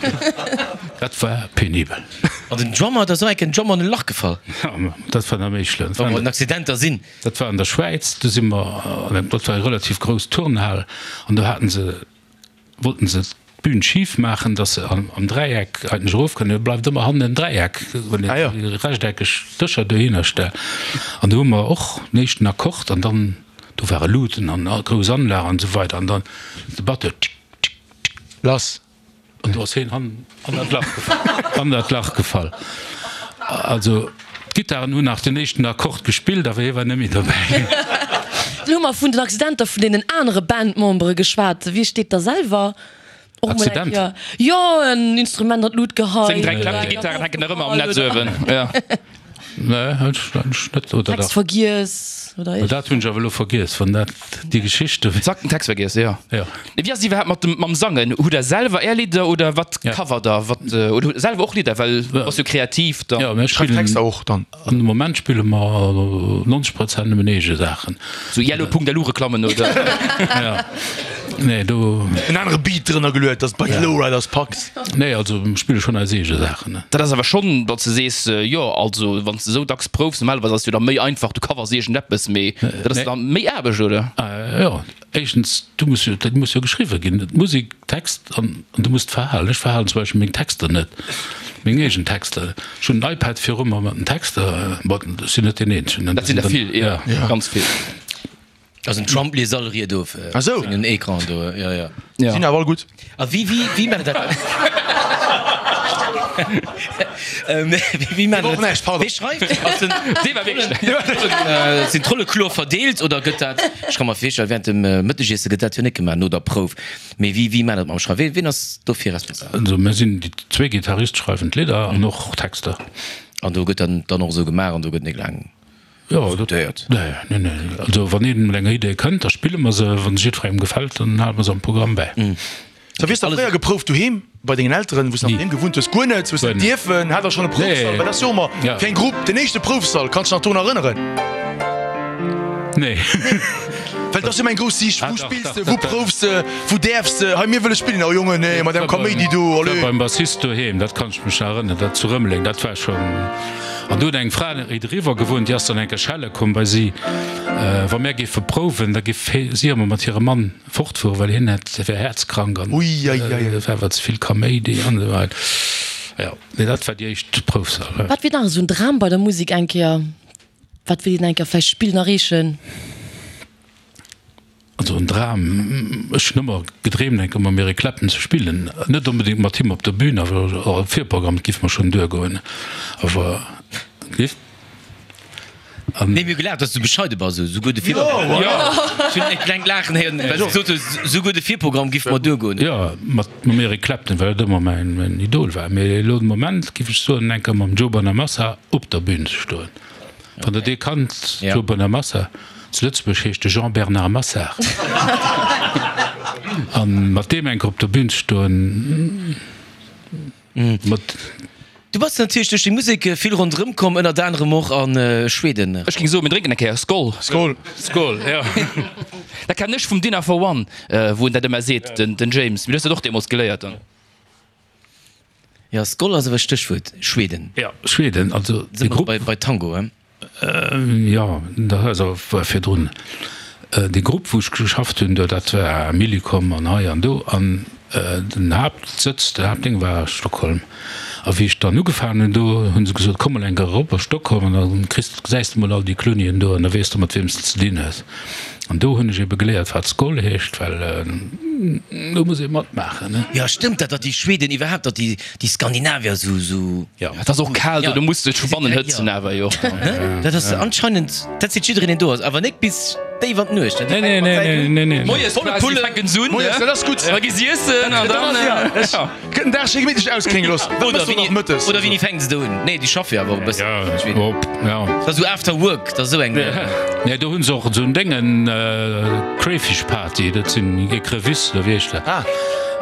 Dat war penibel. An den Drummer, da ass och enk en Drummer an e Lach gefall. Jo, dat war nach méi schlëmm. Wa mer Accidenter sinn. Dat war an der Schwäiz, do si mer an engem, dat war eng relativ grouss Turnhal an do haten se Wollten se d'Bühn schif maachen, dass se am Dräieck eigentlech erof kënnen, da bleift ëmmer hannen en Dräieck, wann een déi rechteckeg Dëscher dohinner stellt. An do hu mer och den éischten Akkord an dann, do ware Luuten an grouss Anlagen an esou weider an dann de Batteur, tick, tick, tick, Lass. An do ass hien an dat Lach gefall, an dat Lach gefall. Also. D'Gittaren hunn nach den éischten Akkord gespillt, awer hie war net méi dobäi. Lo hu mer vun den Accidenter vun deenen anere Bandmembere geschwat. Wéi steet der selwer? Och mol eng Accident? Kéier, jo, en Instrument an d'Lut geheit. Seng 3 geklappte Gittaren hänken nach ëmmer am Netz uewen. Jo. Nee, ech net, oder Text dach? vergiess oder Ma dat hunn ech awer elo vergiess, wann dat déi Geschicht do wier. Zack, den Text vergiess, jo. Jo. Wéi ass et iwwerhaapt mat dem, mam Sangen? Hutt der selwer är Lidder oder wat covert der? Wat, oder hutt der selwer och Lidder? Well du bass jo kreativ dann. Jo, mir Schreift spillen, Texter och dann? an de Moment spille mer 90 Prozent nëmmen eege Saachen. Sou Yellow.lu Reklammen oder? Jo, nee, do. En anere Beat drënner geluet, dass et bei d'Lowriders packt. Nee, also mir spille schonn eis eege Saachen, ne. Dat ass awer schonn, datt s de sees, jo, also wann s de esou dacks proufs, normalerweis ass et jo da méi einfach, du covers iergendeppes, mee dat ass da méi Aarbecht, oder? Jo, éischtens, du muss jo, dat muss jo geschriwwe ginn, d'Musek, Text an du muss d'verhalen. Ech verhalen zum Beispill meng Texter net, meng eegen Texter. Ech hunn en iPad viru mer mat den Texter, bon, ech sinn net deen Eenzegen. Dat sinn der vill, jo, ganz vill. Also den Trump liest all Ried of Ah sou. sengen Ecran do, jo jo. Ja. Sinn awer all gutt. A wéi wéi wéi maacht der dat? Wéi maacht der dat? Wee schreift? Ass den Dee war wierklech schlecht. Sinn d'Rolle kloer verdeelt oder gëtt dat, ech ka mer virstellen, während dem Mëttegiesse gëtt dat jo net gemaach no der Prouf, mee wéi wéi maacht der dat mam Schreiwen? Ween ween ass dofir responsabel? Also mir sinn déi zwee Gitarriste schreiwen d'Lidder an och Texter. An do gëtt dann dann och esou gemaach an do gëtt net laang Jo, dat, nee, nee, nee. Also wann een mat enger Idee kënnt, da spille mer se. Wann se jiddwerengem gefält, dann hale mer se am Programm bäi. So, wéi hues de fréier geprouft? Doheem bei dengen Elteren, wou s de nach doheem gewunnt hues? Guer net? Hues de net dierfen? Hat der schonn e Proufsall? Well dat ass jo ëmmer fir eng Grupp den éischte Proufsall. Kanns de dech nach dorun erënneren? Nee. Well dat ass jo ëmmer eng grouss Sich, Wou spills de? Wou proufs de? Wou däerfs de? Hei, mir wëlle spillen. Oh Jongen, nee, mat engem Kaméidi do, allez. Beim Bassist doheem, dat kann ech mech nach erënneren, dat zu Rëmeleng, dat war schonn. An do huet eng Fra eriwwer gewunnt, déi ass dann eng Kéier schelle komm bei si, wa mär géife prouwen, da géif si ëmmer mat hirem Mann fortfueren, well hien hätt, wär häerzkrank an et wär awer ze vill Kaméidi an esou weider. Jo, mee dat war déi éischt Proufsall. Wat wier nach esou en Dram bei der Musek eng Kéier? Wat wéilt een eng Kéier vläicht spillen, erreechen? Also en Dram, ech hunn ëmmer gedreemt eng Kéier mam Eric Clapton ze spillen, net onbedéngt mat him op der Bühn, awer och am Virprogramm, et giff mer schonn duergoen. Awer giff. Nee, mir hu gelaacht, dass du bescheide bass, esouguer de Virprogramm. Jo, Ech hunn e klengt Laachen héieren, well du gesot hues, esouguer de Virprogramm giff mer duergoen. Jo, mat mam Eric Clapton, well dat ëmmer mäin mäin Idol war. Mee elo de Moment giff ech soen, eng Kéier mam Joe Bonamassa op der Bühn ze stoen. Wann der dee kannt, Joe Bonamassa, zu Lëtzebuerg heescht de Jean-Bernard Massard, a mat deem eng Kéier op der Bühn ze stoen, mat. Du bass natierlech duerch déi Musek vill ronderëm komm, ënnert anerem och a Schweden. Ech géing soen, mir drénken eng Kéier. Skol! Skol! Skol, jo. Dat kennen ech vum Dinner for One, wou en dat ëmmer seet, den James. Mee du hues dat och deemools geléiert dann. Jo, Skol ass awer e Stéchwuert. Schweden. Jo, Schweden, also de Grupp. Bei, bei Tango, he? Jo, dat ass awer war virdrun. Dee Grupp, wou ech geschafft hunn do, dat war Millicom an hei an do. An den Haaptsëtz, den Haaptdéng war Stockholm. A wéi ech dann ugefaangen hunn do, hu se gesot, komm mol eng Kéier erop a Stockholm an da kriss, gesäis de mol all déi Klunien do an da weess de mat wiem s de ze dinn hues. An do hunn ech ebe geléiert wat Skol heescht, well do muss ee matmaachen, ne? Jo, stëmmt dat, datt déi Schweden iwwerhaapt, datt déi déi Skandinavier esou, esou. Jo. Et ass och kal do, do muss de scho bannen hëtzen awer jo. Ne? Dat ass anscheinend, dat seet jiddereen deen do ass, awer net bis déif an d'Nuecht, ne? Nee, nee, nee, nee, nee. Moies quasi fänken se un, ne? Moies, dat ass gutt. Da gi si iessen an dann, jo. Gëtt den Dag schéi gemittlech ausklénge looss. Wat Oder mëss du wéini, nach mëttes? oder wéini fänken se do un? Nee, déi schaffe jo awer och e bëssen. Ja, op, ja. Dat ass esou after work, dat ass esou eng. Nee, do hunn se och esou en Déngen, Crayfish Party, dat sinn Ecrevisse oder wéi heescht dat? Ah.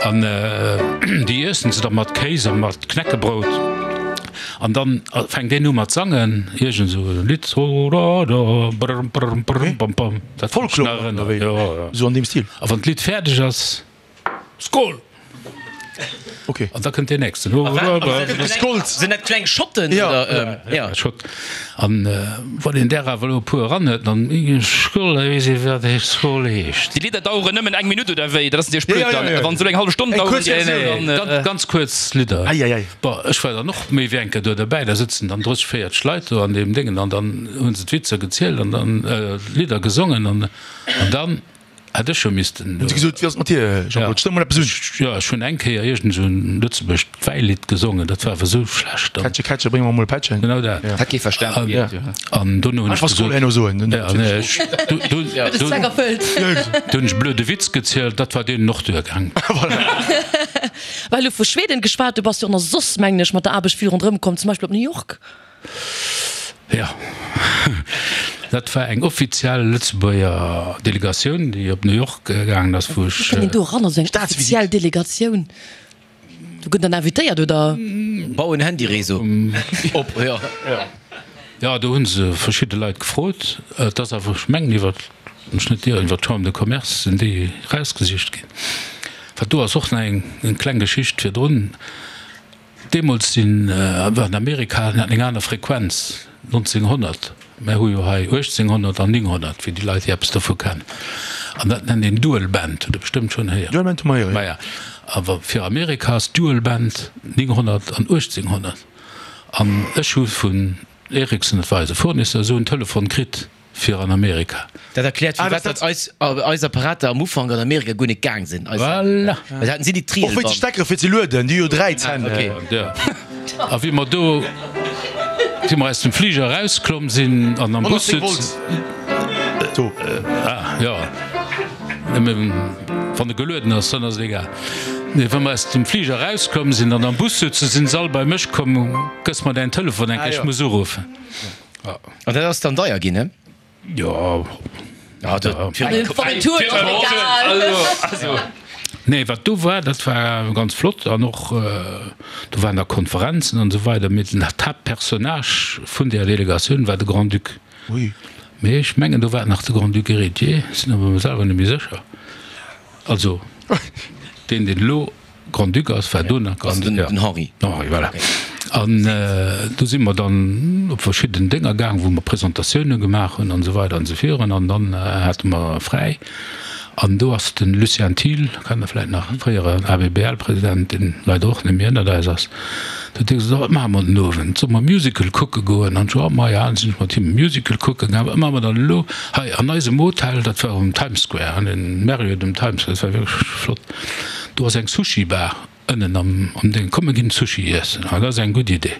An déi iessen se da mat Kéis a mat Knäckebrout. An dann fänkt een u mat sangen, iergend esou e Lidd, brrm brrm brrm pam pam. Dat kann ech Folklore nach oder erënneren. wéi? Jo, jo. Esou an deem Stil. A wann d'Lidd fäerdeg ass, Skol! Okay. An da kënnt deen nächsten. Skolt! Sinn dat kleng Schotten? Ja. Oder, ja. Schott. An wann een där awer elo e puer eran huet, dann Skol, da weess ee wat Skol heescht. Déi Lidder daueren nëmmen eng Minutt oder wéi? Dat ass natierlech blöd Ja, ja, dann, ja, ja. wann se elo eng hallef Stonn Eng daueren. kuerz Versioun. Dann, Ganz, ganz kuerz Lidder. Ei, ei, ei. Bon, ech war dann och méi wéi eng Kéier do derbäi. Da sëtzen dann 30, 40 Leit do an deem Déngen an dann hu se d'Witzer gezielt an dann d'Lidder gesongen an dann Hätt ech jo missten. Hunn se gesot, wéi ass et mat dir, Jean-Claude, stëmm mol eppes un. Jo, ech hunn eng Kéier iergend esou en Lëtzebuergescht Wäilidd gesongen, dat war awer esou schlecht. Kättche, Kättche, bréng mer mol e Pättchen. Genau dat. Hätt kee verstanen jo. An dono hunn ech Einfach gesot. Skol herno soen. Ja, nee, ech, du, du, Huet de Zweck erfëllt. du hunn ech e blöde Witz gezielt, dat war deenen och duergaang. Well elo vu Schweden geschwat, du bass jo och nach soss, mengen ech, mat der Aarbecht vill ronderëm komm, zum Beispill op New York. Jo, dat war eng offiziell Lëtzebuerger Delegatioun, déi op New York gaangen ass, wou ech. Wéi kënnt een do eran an esou eng offiziell Delegatioun? Do gëtt dann invitéiert, oder? Bau en Handyréseau op, jo. Jo, do hu se verschidde Leit gefrot. Et ass awer, ech mengen, iwwer, wann ech net ieren, iwwer d'Chambre de Commerce sinn déi erausgesicht ginn. Wat do ass och nach eng kleng Geschicht virdrun. Deemools sinn, war an Amerika hat eng aner Frequenz, 1900, mär hu jo hei 1800 an 900, fir déi Leit, déi eppes dovu kennen. An dat nennt een Dual Band, hutt Der bestëmmt schonn héieren. Dual Band hu mer héieren, jo. Maja, awer fir Amerika ass Dual Band 900 an 1800. An ech hu vun Ericsson, dat war eise Fournisseur, esou en Telefon kritt. Fir an Amerika. Dat erkläert firwat datt eis eis Apparater am Ufank an Amerika guer net gaang sinn. Eis Voilà. Well haten si déi Och wéinst de Trielband. Steckere fir ze lueden, déi hu jo 3 Zänn. Ah, okay. Ja. A wéi mer do, wéi mer aus dem Fliger erausklomm sinn an am Bus 110 sutzen. Volt. Do. Ah, jo. Nëmme wann e gelueden ass, dann ass et egal. Nee, wa mer aus dem Fliger erauskomm sinn an am Bus sutzen, sinn se all bei mech komm, Gëss mer däin Telefon eng Kéier, ech muss uruffen. An dat ass dann deier ginn, he? Jo. Ja, dat, fir eng Nee, wat do war, dat war ganz flott an och do waren da Konferenzen an esou weider, mee den Haaptpersonnage vun där Delegatioun war de Grand-Duc. Mee ech mengen, do war nach de Grand-Duc héritier, sinn awer mer selwer net méi sécher. Also deen, deen elo Grand-Duc ass, war do nach Grand-Duc. Den Henri. Den Henri, voilà. An do si mer dann op verschidden Dénger gaang, wou mer Presentatioune gemaach hunn an esou weider an esou virun. An dann hate mer fräi. An do ass de Lucien Thiel, kennt Der vläicht nach, fréiere ABBL-President, deen leider och net méi ënnert eis ass, do huet hie gesot, Wat maache mer den Owend? Solle mer Musical kucke goen? An ech, Oh maja, an sinn ech mat him Musical kucke gaangen. Wat maache mer dann elo hei an eisem Hotel? Dat war um Times Square, an den Marriott um Times Square, dat war wierklech flott. Do ass eng Sushi-Bar ënnen am Ding. Komm mir ginn Sushi iessen. Ah, dat ass eng gutt Idee.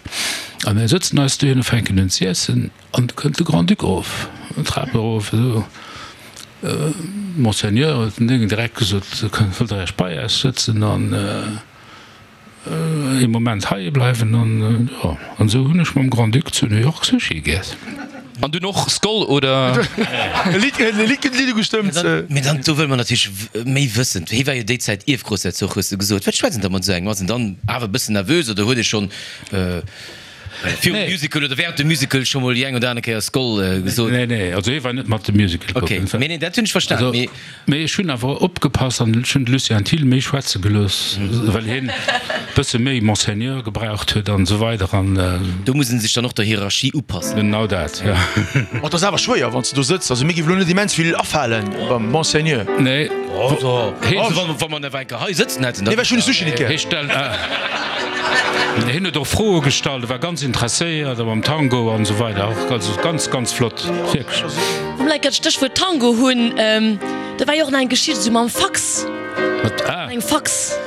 A mir sëtzen eis dohin a fänken un z'iessen. An du kënnt de Grand-Duc erof, d'Trap erof, esou, Monseigneur, huet den Déngen direkt gesot, wëllt Der Iech bei eis sëtzen an ee Moment hei bleiwen? An jo, an esou hunn ech mam Grand-Duc zu New York Sushi giess. An dunn och Skoll, oder? E Lidd, e Lidd gëtt Lidde gestëmmt. Mee dann, do wëlle mer natierlech méi wëssen. Hie war jo déi Zäit Ierfgroussherzog, hues de gesot. Wat schwätzt een da mat esou engem? Ass een dann awer e bëssen nervös oder huet ee schonn Virum Musical oder während dem Musical scho mol déi eng oder aner Kéier Skoll gesot? Nee, nee, also hie war net mat de Musical kucken. Ok, mee nee, dat hunn ech verstan. Also, mee ech hunn awer opgepasst an ech hunn de Lucien Thill méi schwätze gelooss, well hien e bësse méi Monseigneur gebraucht huet an esou weider an. Do muss en sech dann och der Hierarchie upassen. Genau dat, jo. Ma et ass awer schwéier, wann s de do sëtz. Also mir géif elo net immens vill afalen beim Monseigneur. Nee. Also, wa mer nach eng Kéier hei sëtzen hätten, da. Nee, well ech hunn de Sushi net gär. Hie stellt. Hien huet och Froe gestallt, e war ganz interesséiert a mam Tango an esou weider. Also ganz, ganz flott, wierklech. Wa mer grad d'Stéchwuert Tango hunn, do war jo och nach eng Geschicht esou mam Fax. Mat, ah. Engem Fax.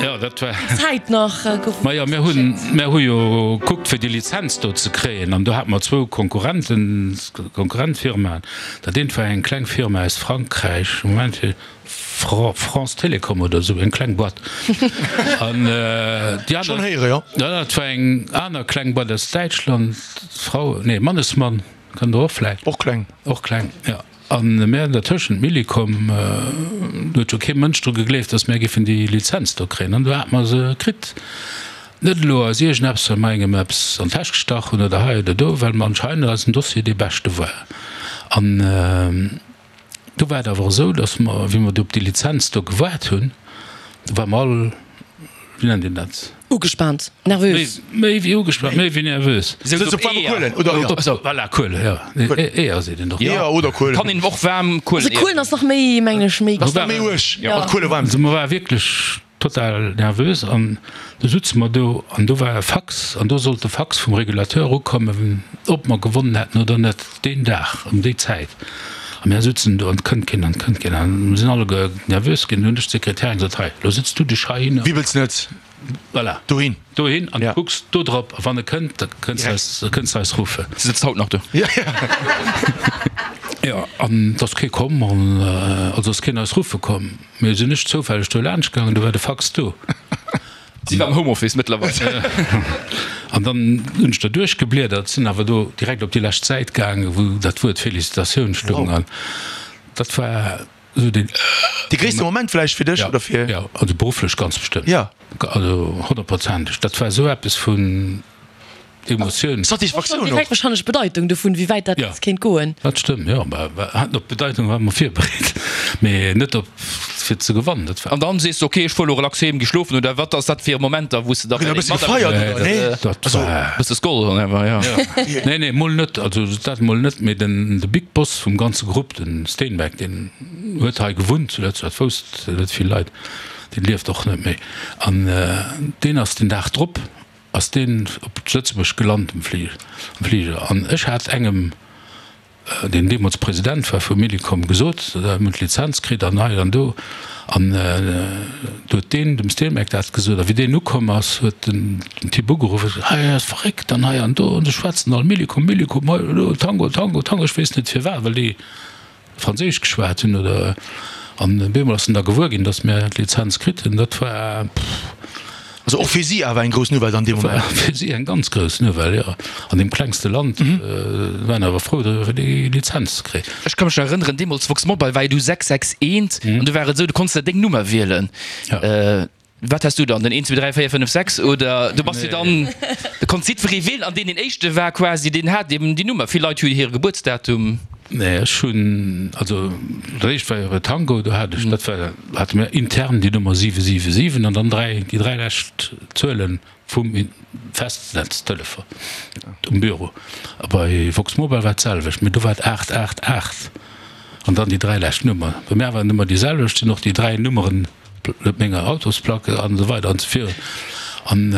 Jo, dat war. Déi Zäit nach gouf. Majo, mir hunn, mir hu jo gekuckt fir déi Lizenz do ze kréien an do hate mer zwou Konkurrenten, Konkurrentfirmaen. Dat eent war eng kleng Firma aus Frankräich, Moment, France Télécom oder esou, eng kleng Boîte. An déi aner. Schonn héiere, jo. Jo, dat war eng aner kleng Boîte aus Däitschland, Frau, nee, Mannesmann, kennt Der och vläicht. Och kleng. Och kleng, jo. A mär dertëschent, Millicom, do huet jo kee Mënsch dru gegleeft, datt mär géifen déi Lizenz do kréien. An du hate mer se kritt. Net elo aus iergendeppes, well mer engem eppes an d'Täsch gestach hunn oder hei oder do, well mer anscheinend eisen Dossier dee beschte war. An. Do war et awer esou, datt mer, wéi mer do op déi Lizenz do gewaart hunn, do ware mer all, wéi nennt een dat? Ugespaant, nervös. Méi wéi ugespaant, méi wéi nervös. Sou op waarme Kuelen, oder? Op, voilà, Kuelen, jo. Eeër seet een och. Eeër oder Kuelen. Kann een och waarm Kuelen iessen. Also Kuelen ass nach méi, mengen ech, méi. Ass nach méi uerg, wann d'Kuele waarm sinn. Also mer ware wierklech Total nervös an du sutze mer do an do war e Fax an do sollt de Fax vum Regulateur ukommen, ob mer gewonnen hätten oder net, deen Dag ëm déi Zäit. A mär sutzen do an et kënnt keen an et kënnt keen an mir sinn alleguer nervös ginn. Du hunn ech d'Sekretärin gesot, hei, lo sëtz du dech heihinner. Wibbels net Voilà. dohin. Dohin an du kucks do drop a wann e kënnt, da kënns de eis, da kënns de eis ruffen. Se sëtzt haut nach do. Jo, an et ass kee komm an also ass keen eis ruffe komm. Mee sinn ech zoufälleg do laanscht gaangen, do war de Fax do. Si war am Homeoffice mëttlerweil. An dann hunn ech da duerchgebliedert, sinn awer do direkt op déi lescht Säit gaangen, wou dat Wuert Felicitatioun stoung. An dat war esou deen. Dee gréisste Moment vläicht fir dech, oder fir? Jo, also berufflech ganz bestëmmt. Jo. Also honnertprozenteg. Dat war esou eppes vun. Emotioun. Satisfaktioun och. Direkt wahrscheinlech d'Bedeitung dovun, wéi wäit dat kéint goen. Dat stëmmt, jo. Mä mer haten op d'Bedeitung ware mer virbereet, mee net op fir ze gewannen. Dat war. An dann sees de, ok, ech fuer elo relax heem, gi schlofen, oder wat ass dat fir Momenter, wou s de da Gëtt e bësse gefeiert, oder? Nee? Dat war. Bësse Skoll dann awer, jo. Nee, nee, mol net. Also dat mol net, mee den de Big Boss vum ganze Grupp, den Steenbeck, deen huet hei gewunnt zu Lëtzebuerg, dat wousst net vill Leit, deen lieft och net méi, an deen ass den Dag drop ass deen op Lëtzebuerg gelant um Fliger an ech hat engem, deen deemools President war vu Millicom, gesot, mir hunn d'Lizenz kritt an hei an do an du huet deen dem Stelmec dat gesot a wéi deen ukomm ass, huet den den Typ ugeruff huet gesot, hei ass verréckt an hei an do an se schwätzen all Millicom, Millicom, hei do, Tango, Tango, Tango, ech weess net firwat, well déi Franséisch geschwat hunn oder an op eemol ass en da gewuer ginn, datt mir d'Lizenz kritt hunn. Dat war, pff. Also och fir si awer eng grouss Nouvelle dann dee Moment. Fir si eng ganz grouss Nouvelle, jo. An deem klengste Land waren awer frou driwwer, fir déi Lizenz ze kréien. Ech ka mech nach erënneren, deemools Vox Mobile war jo du 661 an du war et esou, du konns der deng Nummer wielen. Wat has du dann? Den 1, 2, 3, 4, 5, 6 oder du bass jo dann, du konns jiddweree wielen an deen deen éischte war quasi, deen hat eben déi Nummer. Vill Leit hu hire Gebuertsdatum. Nee, ech hunn, also dat éischt war jo e Tango, do hat ech, dat war, hate mir intern déi Nummer 777 an dann 3, déi 3 lescht Zuele vum Festnetztelefon um Büro. A bei Vox Mobile war et d'selwecht, mee do war et 888. An dann déi 3 lescht Nummer. Bei mir waren ëmmer déi selwecht, sinn och déi 3 Nummeren op menger Autosplaque an esou weider an esou virun. An,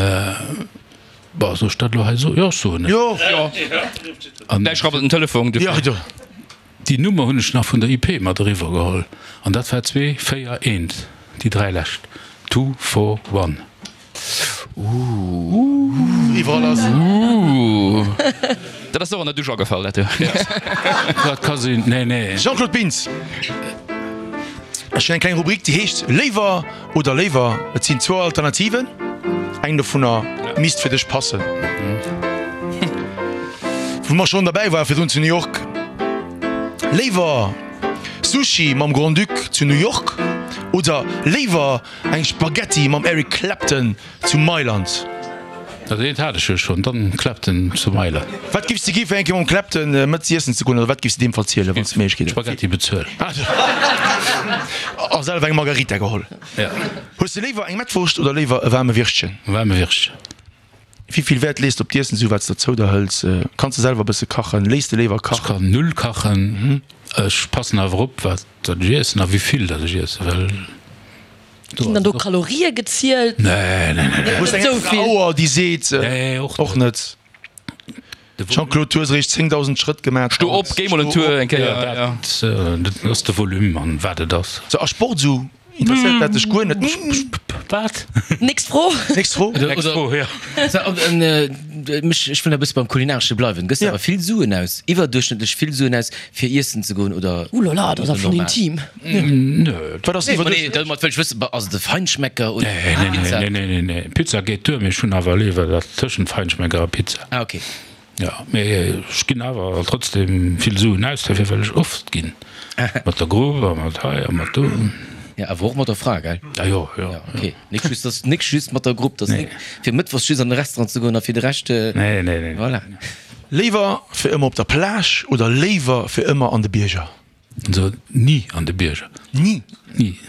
bon, soll ech dat elo hei soen? Jo, ech soen et. Jo. An. Gläich rabbelt den Telefon. Jo, jo. Déi Nummer hunn ech nach vun der IP mat eriwwer geholl an dat war 2, 4, 1, déi 3 lescht, two, four, one. Iwwerall ass. Dat ass och an der Dusch agefall, dat do. Dat ka sinn, nee, nee. Jean-Claude Bintz, ech hunn eng kleng Rubrik, déi heescht Léiwer oder léiwer. Et sinn zwou Alternativen, eng dovunner misst fir dech passen. Wou mer schonn derbäi waren virdrun zu New York, Léiwer Sushi mam Grand-Duc zu New York oder léiwer Eng Spaghetti mam Eric Clapton zu Mailand. Dat eent hat ech jo schon, dann Clapton zu Mailand. Wat giffs de gi fir eng Kéier mam Clapton mëttes iessen ze goen oder wat giffs de deem verzielen wanns de d'Méiglechkeet häss? Spaghetti bezuelen. A selwer eng Margarita geholl. Ja. Hues de léiwer eng Mettwurscht oder léiwer e waarme Würstchen? E waarme Würstchen. Wéi vill Wäert lees de op d'Iessen, sou wat s de zou der hëls? Kanns de selwer e bësse kachen? Léiss de léiwer Ech kachen? kann null kachen. Ech passen awer op wat dat ech iessen a wéi vill dat ech iessen, well do Ginn dann do Kalorië gezielt? Nee, nee, nee, nee. Hues eng extra Auer déi seet? Nee, och Och net. Jean-Claude, du hues eréischt 10.000 Schrëtt gemaach. Sto op, géi mol en Tour eng Kéier. Ja, dat ass de Volume an wat et ass. Sou, a Sport sou, interesséiert dat dech guer net? Wat? Nächst Fro. Nächst Fro. Nächst Fro, ja. Mech, ech wëll nach e bësse beim Kulinaresche bleiwen. Gëss de awer vill Suen aus, iwwerduerchschnëttlech vill Suen aus, fir iessen ze goen, oder? Ouh là là, dat ass awer schonn intim. Nö. Wat ass iwwerduerchschnëttlech? Domat wëll ech wëssen, ass et e Feinschmecker oder Nee, nee, Pizza? nee, nee, nee, nee. Pizza geet duer, mee ech hunn awer léiwer dat tëschent Feinschmecker a Pizza. Ah, okay. Jo, mee ech ginn awer trotzdem vill Suen aus derfir, well ech oft ginn. Mat der Grupp a mat hei a mat do. Jo, awer och mat der Fra, gell? Ja, jo, jo. Ja, okay. Nik just, dass nik just mat der Grupp, dass nik fir mëttwochs just an de Restaurant ze goen a fir de Rescht. Nee, nee, nee. Voilà. Léiwer fir ëmmer op der Plage oder léiwer fir ëmmer an de Bierger? Also ni an de Bierger. Ni? Ni.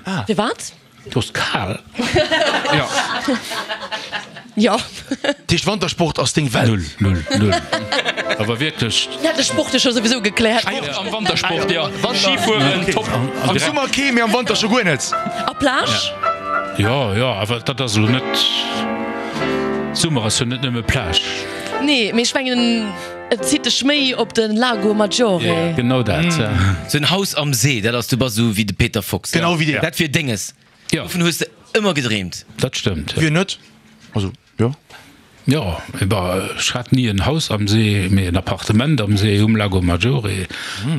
Ah. Firwat? Do ass kal. Jo. Jo. Dat heescht Wantersport ass deng Welt? Null, null, null. Awer wierklech. Dat de Sport ass scho souwisou gekläert. Sport am Wantersport, jo. Schifueren, top. Am Summer kee, mee am Wanter scho guer net. A Plage? Jo, jo, awer dat ass elo net, Summer ass jo net nëmme Plage. Nee, mee ech mengen. Et zitt dech méi op de Lago Maggiore. Genau dat. Sou en Haus am See, dat ass, du bass esou wéi de Peter Fox. Genau wéi deen. Dat wier denges. Jo. Dovun hues de ëmmer gedreemt. Dat stëmmt, jo. Wien net? Also, jo. Jo, bah, ech hat ni en Haus am See, mee en Appartement am See um Lago Maggiore.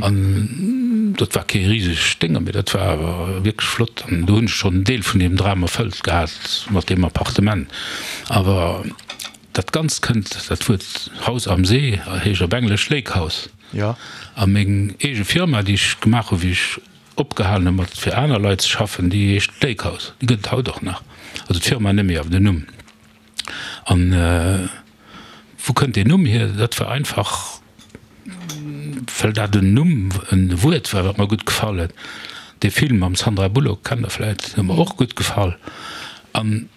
An dat war kee risegt Dénger, mee dat war awer wierklech flott. An do hunn ech schonn en Deel vun deem Dram erfëllt gehat mat deem Appartement. Awer. Dat Ganzt kënnt, dat Wuert Haus am See heescht op Englesch Lake House. Jo. A meng eege Firma, déi ech gemaach hu wéi ech opgehalen hu mat fir aner Leit ze schaffen, déi heescht Lake House. Déi gëtt et haut och nach. Also d'Firma net méi, awer den Numm. An wou kënnt deen Numm hier? Dat war einfach, well dat en Numm, e Wuert war, wat mer gutt gefall huet. Dee Film mam Sandra Bullock kennt der vläit, huet mer och gutt gefall. An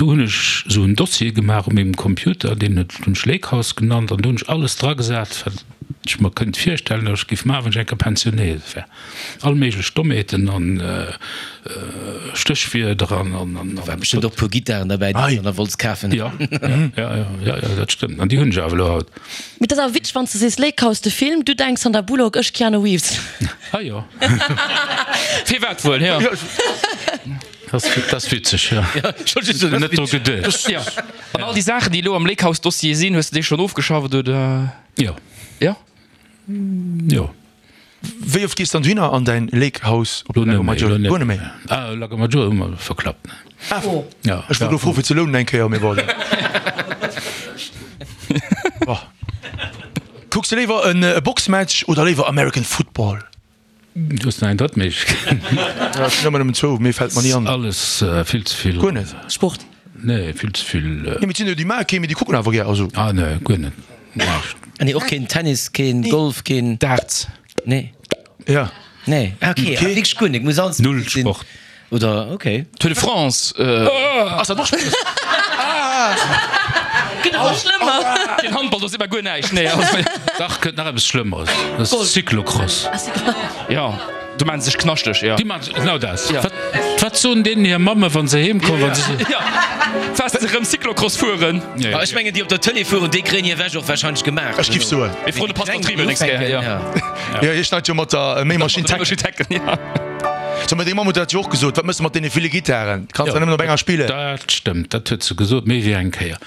Do hunn ech esou en Dossier gemaach op mengem Computer, deen huet hunn ech Lake House genannt, an do hunn ech alles dragesat, wat ech mer kënnt virstellen, datt ech géif maachen, wann ech eng Kéier pensionéiert wär. All méiglech Dommheeten an Stéchwierder an, an, an. Do ware bestëmmt och e puer Gittaren derbäi, déi s de dann wollts kafen. Jo, jo, jo, jo, jo, dat stëmmt. An déi hunn ech awer elo haut. Mee et ass awer witzeg, wann s de sees Lake House, de Film, du denks Sandra Bullock, ech Keanu Reeves. Ah jo. Firwat wuel, jo. Dat ass witzeg, jo. Net dru geduecht. Jo. An all déi Saachen, déi elo am Lake House Dossier sinn, hues de déi schonn ofgeschafft, oder? Jo. Jo? Jo. Wéi oft gees dann dohinner an däin Lake House op de Lago Maggiore? Guer net méi. Ah, Lago Maggiore hu mer verklappt, ne? Ah, Jo. ech wollt elo froe fir ze lounen eng Kéier, mee bon. Bon. Kucks de léiwer e Boxmatch oder léiwer American Football? Du hues nach eng drëtt Méiglechkeet. Ja, ech hunn ëmmer nëmmen zwou, méi fält mer ni an. Alles vill ze vill. Guer net? Sport? Nee, vill ze vill. Nee, mee et sinn jo déi maache kee, mee déi kucken awer gär, also. Ah nee, guer net. Näischt. Ah nee, och keen Tennis, keen Golf, keen. Darts. Nee. Ja. Nee, ah okay, ah wierklech guer net, muss alles Null Sport. Oder okay. Tour de France. Ass dat och Sport? Gëtt ëmmer schlëmmer. Den Handball, do seet mer guer näischt. Nee, also. Dach, kënnt nach eppes Schlëmmeres, dat ass Cyclocross. Jo, do maachen se sech knaschteg, jo. Déi maachen sech, genau dat. Wat, wat soen deenen hir Mamme wa se heem kommen, wa se. Jo, fest se rëm Cyclocross fueren. Ma ech mengen, déi op der Tëlee fueren, déi kréien hir Wäsch och warscheinlech gemaach. Ech giff soen. Mir froen de Pastor Triebel nächst Kéier, jo. Jo, hie schneit jo mat der Méimaschinn d'Hecken. So, mä deng Mamm huet dat jo och gesot, Wat mëss de mat deene ville Gittaren? Kanns der nëmmen op enger spillen. Dat stëmmt, dat huet se gesot, méi wéi eng Kéier.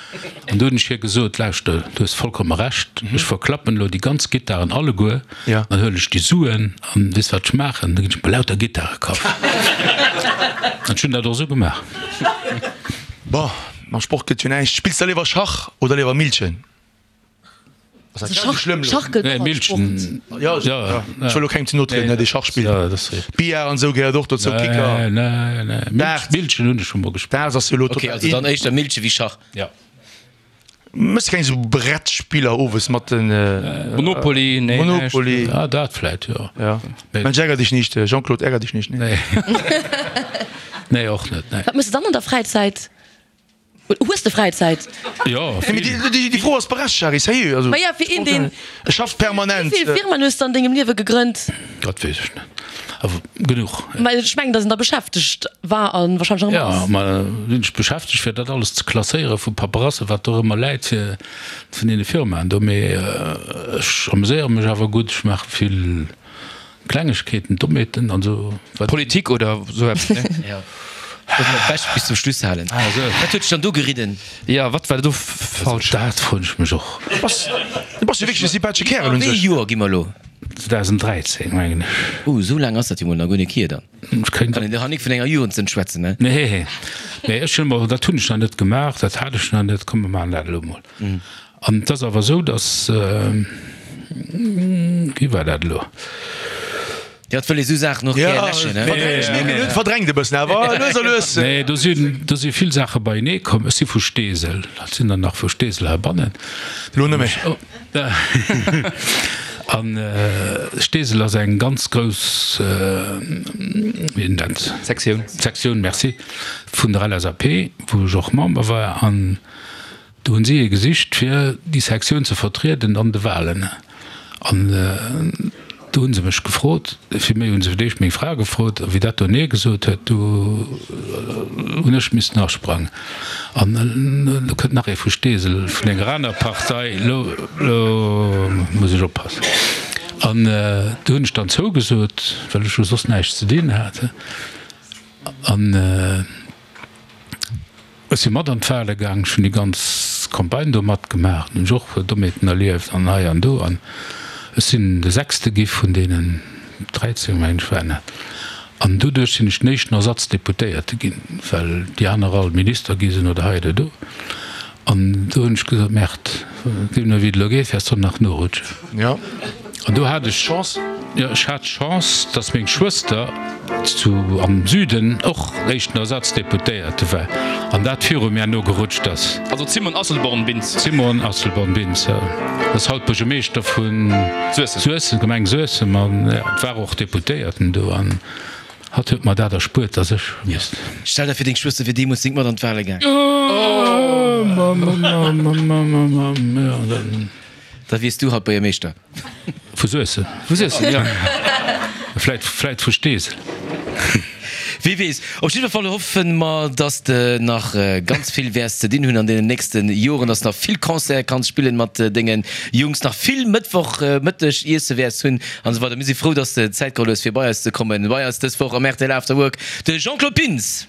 An du hunn ech hir gesot, Lauschter, du hues vollkomme Recht, ech verklappen elo déi ganz Gittaren alleguer, dann huelen ech déi Suen an weess wat ech maachen, da ginn ech mer lauter Gittare kafen. An ech hunn dat och esou gemaach. Bon, mam Sport gëtt jo näischt. Spills de léiwer Schach oder léiwer Millchen? Ass dat grad esou schlëmm elo? Schach gëllt och als Sport. Jo, ech wëll elo kengem ze no trieden, dee Schach spillt. Billard an esou gehéiert och dozou, Kicker. Nee, nee, nee, Millchen hunn ech scho mol gespillt. Darts ass jo elo total in. Ok, also dann éischter Millche wéi Schach. Jo. Méchs de keng esou Brettspiller owes mat den. Monopoly, nee, näischt. Monopoly. Ah, dat vläit, jo. Jo. Mensch ärger dich nicht, Jean-Claude ärger dich nicht, nee. Nee, och net, nee. Wat méchs de dann an der Fräizäit? Hues de Fräizäit? Jo, vill. Mee déi Fro ass berechtigt, Harry, sérieux. Also, Ma ja, fir een, deen. E schafft permanent. Wéi vill Firmaen hues de an dengem Liewe gegrënnt? Dat weess ech net. Awer genuch. Mä ech mengen, datt en da beschäftegt war a warscheinlech nach ëmmer ass. Jo, ma sinn ech beschäftegt, fir dat alles ze klasséiere vu Paperasse, wat do ëmmer läit, fir vun deene Firmaen do. Mee ech ameséiere mech awer gutt. Ech maache vill. Klengegkeeten, Dommheeten an sou. Politik oder sou eppes, ne? Jo, dass mer d'Bescht bis zum Schluss halen. Ah sou. Wat huet dech dann do geridden? Jo, wat war do falsch? Dat froen ech mech och. Du bass, du bass jo wierklech e sympathesche Kärel un Wéi sech. Joer gi mer elo? 2013, mengen ech. Uh, sou laang ass dat jo mol nach guer net hier dann. Ech kéint. Kann een de Hannik vun enger Jugendsënd schwätzen, ne? Nee, nee, ech hunn mer, dat hunn ech nach net gemaach, dat hat ech nach net, komm mer maachen dat elo mol. An et ass awer esou, datt, wéi war dat elo? Jo, et wëll ee sou Saachen och gär läschen, ne? Huet verdrängt e bëssen, awer lues a lues. Nee, do sinn, do si vill Saache beienee komm. Ech si vu Steesel, et sinn der nach vu Steesel heibannen. Elo net méi. An Steesel ass eng ganz grouss, wéi heescht dat? Sektioun. Sektioun, merci, vun der LSAP, wou ech och Member war. An Do hunn si ee gesicht fir déi Sektioun ze vertrieden an de Wahlen. An do hunn se mech gefrot, fir méi hunn se fir d'éischt meng Fra gefrot, a wéi dat do nee gesot huet, do hunn ech missen asprangen. An elo kënnt nach ee vu Steesel, vun enger aner Partei, elo elo muss ech oppassen. An do hunn ech dann zougesot, well ech jo soss näischt ze dinn hat. An. Ech si mat an d'Wale gaang, ech hunn déi ganz Campagne do matgemaach, hunn ech och e puer Dommheeten erlieft an hei an do an ech sinn de Sechste gi vun deenen 13, mengen ech waren dat. An doduerch sinn ech den éischten Ersatzdeputéierte ginn, well déi aner all Minister gi sinn oder hei oder do. An do hunn ech gesot, Merde, deemno wéi et elo geet, wäers de och nach norutschen. An do hat ech Chance. Jo, ech hat d'Chance, datt meng Schwëster zu am Süden och éischten Ersatzdeputéierte war an dat viru mär nogerutscht ass. Also d'Simone Asselborn-Bintz. D'Simone Asselborn-Bintz, jo. Ass haut Buergermeeschter vu Suessem. Suessem, Gemeng Suessem an jo, war och Deputéierten do an hatt huet mer dat erspuert, datt ech misst. Stell der fir, deng Schwëster wier deemools nik mat an d'Wale gaang. Oh, Mamm, Mamm, Mamm, Mamm, jo, dann. Da wiers du haut Buergermeeschter. Vu Suessem. Vu Suessem, jo. Vläit, vläit vu Steesel. Wie weess. Op jiddwer Fall hoffe mer, dass de nach ganz vill wäers ze dinn hunn an deenen nächste Joren, dass de nach vill Concerte kanns spillen mat denge Jungs, nach vill Mëttwoch Mëtteg Iesse wäers hunn an esou weider. Mir si frou, dass de Zäit geholl hues fir bei eis ze kommen. Bei eis dës Woch am rtl After Work de Jean-Claude Bintz.